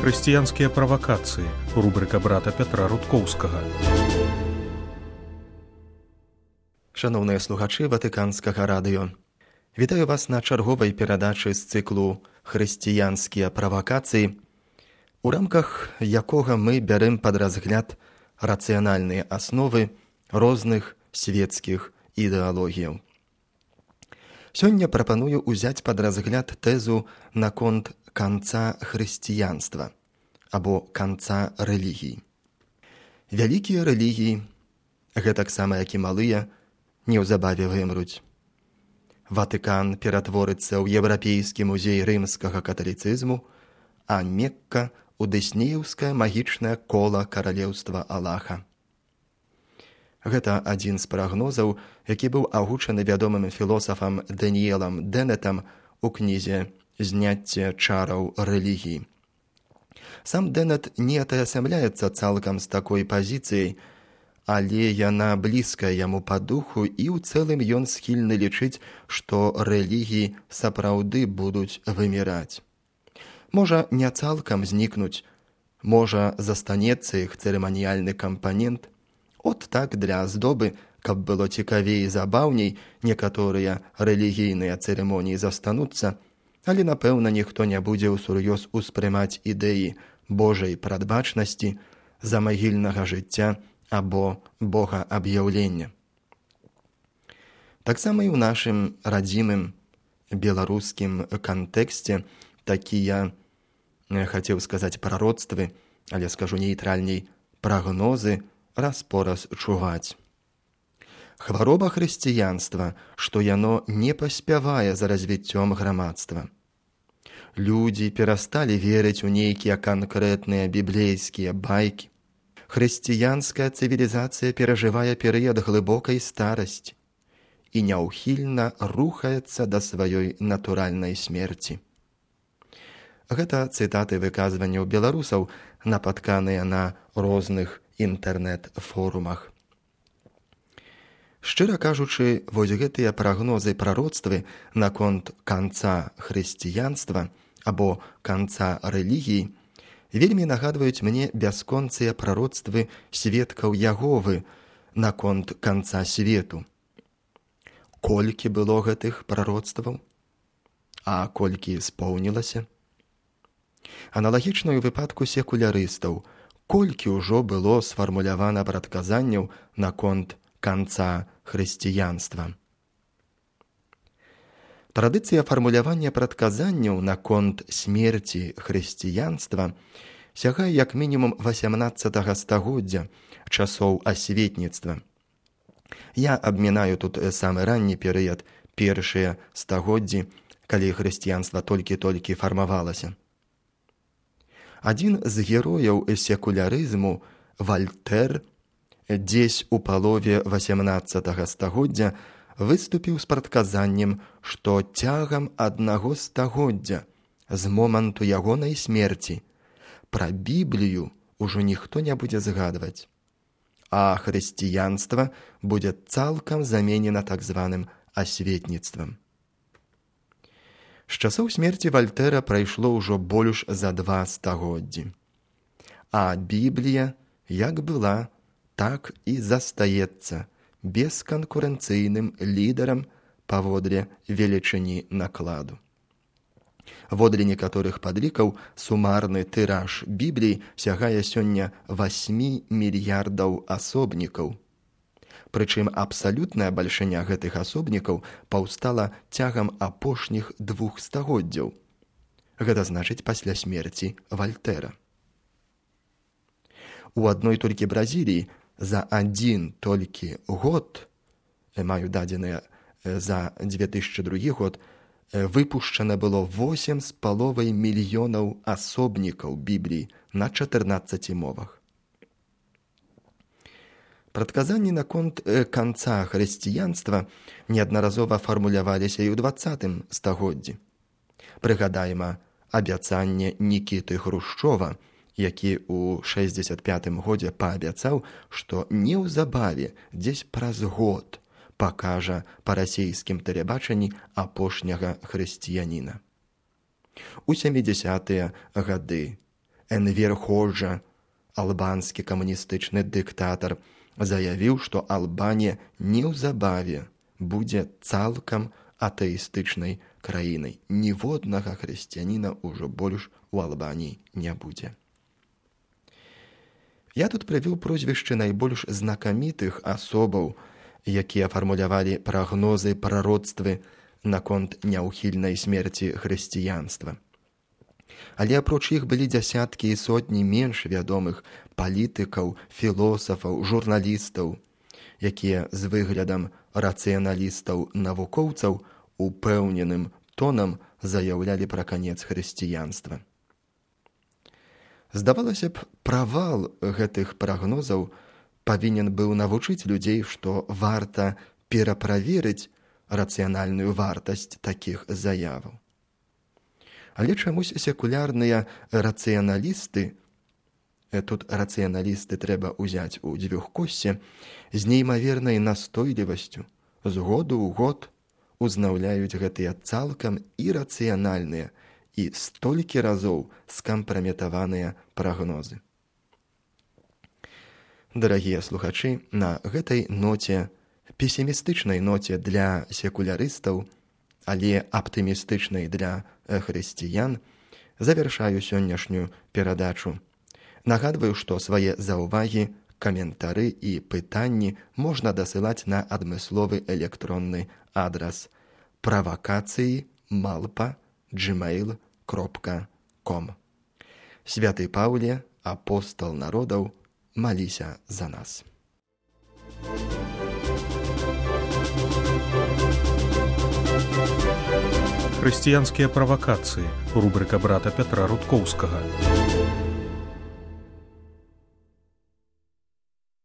Хрысціянскія правакацыі. Рубрыка брата Пятра Рудкоўскага. Шановныя слухачы Ватыканскага радыё. Вітаю вас на чарговай перадачы з цыклу «Хрысціянскія правакацыі», у рамках якога мы бярем пад разгляд рацыянальныя асновы розных свецкіх ідэалогіяў. Сёння прапаную ўзяць пад разгляд тэзу наконт канца хрысціянства або канца рэлігіі. Вялікія рэлігіі, гэтаксама як і малыя, неўзабаве вымруць. Ватыкан ператворыцца ў еўрапейскі музей рымскага каталіцызму, а Мекка ў дыснееўскае магічнае кола каралеўства Аллаха. Гэта адзін з прагнозаў, які быў агучаны вядомым філосафам Даніэлам Деннетам у кнізе «Зняцце чараў рэлігіі». Сам Деннет не атаясамляецца цалкам з такой пазіцыяй, але яна блізкая яму па духу, і ў цэлым ён схільны лічыць, што рэлігіі сапраўды будуць выміраць. Можа, не цалкам знікнуць, можа, застанецца іх цырыманіяльны кампанент. От так для аздобы, каб было цікавей і забаўней, некаторыя рэлігійныя цырымоніі застануцца, але, напэўна, ніхто не будзе ўсур'ёз успрымаць ідэі Божай прадбачнасці, замагільнага жыцця або богааб'яўлення. Таксама і ў нашым радзімым беларускім кантэксце такія, хацеў сказаць, прароцтвы, але скажу нейтральней, прагнозы раз-пораз чуваць. Хвароба хрысціянства, што яно не паспявае за развіццём грамадства. Людзі перасталі верыць у нейкія канкрэтныя біблейскія байкі. Хрысціянская цывілізацыя перажывае перыяд глыбокай старасці і няўхільна рухаецца да сваёй натуральнай смерці. Гэта цытаты выказванняў беларусаў, напатканыя на розных інтэрнэт-форумах. Шчыра кажучы, вось гэтыя прагнозы прароцтвы наконт канца хрысціянства або канца рэлігіі вельмі нагадваюць мне бясконцыя прароцтвы сведкаў Яговы наконт канца свету. Колькі было гэтых прароцтваў? А колькі споўнілася? Аналагічна ў выпадку секулярыстаў, колькі ўжо было сфармулявана прадказанняў наконт канца хрысціянства. Традыцыя фармулявання прадказанняў наконт смерці хрысціянства сягае як мінімум 18 стагоддзя, часоў асветніцтва. Я абмінаю тут самы ранні перыяд, першыя стагоддзі, калі хрысціянства толькі-толькі фармавалася. Адзін з герояў секулярызму, Вальтэр, дзесь у палове 18 стагоддзя выступіў з прадказаннем, што цягам аднаго стагоддзя з моманту ягонай смерці пра Біблію ўжо ніхто не будзе згадваць, а хрысціянства будзе цалкам заменена так званым асветніцтвам. З часоў смерці Вальтэра прайшло ўжо больш за 2 стагоддзі. А Біблія, як была, так і застаецца бесканкурэнцыйным лідарам паводле велічыні накладу. Водле некаторых падлікаў сумарны тыраж Бібліі сягае сёння 8 мільярдаў асобнікаў. Прычым абсалютная бальшыня гэтых асобнікаў паўстала цягам апошніх 2 стагоддзяў. Гэта значыць пасля смерці Вальтэра. У адной толькі Бразіліі за адзін толькі год, маю дадзеныя за 2002 год, выпушчана было 8,5 мільёнаў асобнікаў Бібліі на 14 мовах. Прадказанні наконт канца хрысціянства неаднаразова фармуляваліся і ў 20 стагоддзі. Прыгадаем абяцанне Нікіты Хрушчова, які ў 65 годзе паабяцаў, што неўзабаве, дзесь праз год, пакажа па расійскім тэлебачанні апошняга хрысціяніна. У 70-е гады Энвер Ходжа, албанскі камуністычны дыктатар, заявіў, што Албанія неўзабаве будзе цалкам атэістычнай краінай. Ніводнага хрысціяніна ўжо больш у Албаніі не будзе. Я тут прывёў прозвішчы найбольш знакамітых асобаў, якія фармулявалі прагнозы, прароцтвы наконт няўхільнай смерці хрысціянства. Але апроч іх былі дзясяткі і сотні менш вядомых палітыкаў, філосафаў, журналістаў, якія з выглядам рацыяналістаў-навукоўцаў упэўненым тонам заяўлялі пра канец хрысціянства. Здавалася б, правал гэтых прагнозаў павінен быў навучыць людзей, што варта пераправерыць рацыянальную вартасць такіх заяваў. Але чамусь секулярныя рацыяналісты, тут рацыяналісты трэба ўзяць у дзвюхкоссе, з неймавернай настойлівасцю з году ў год узнаўляюць гэтыя цалкам ірацыянальныя і столькі разоў скампраметаваныя прагнозы. Дарагія слухачы, на гэтай ноце, песімістычнай ноце для секулярыстаў, але аптымістычнай для хрысціян, завяршаю сённяшнюю перадачу. Нагадваю, што свае заўвагі, каментары і пытанні можна дасылаць на адмысловы электронны адрас pravakacji@gmail.com. Святы Паўле, апостал народаў, маліся за нас. Хрысціянскія правакацыі. Рубрыка брата Пятра Руткоўскага.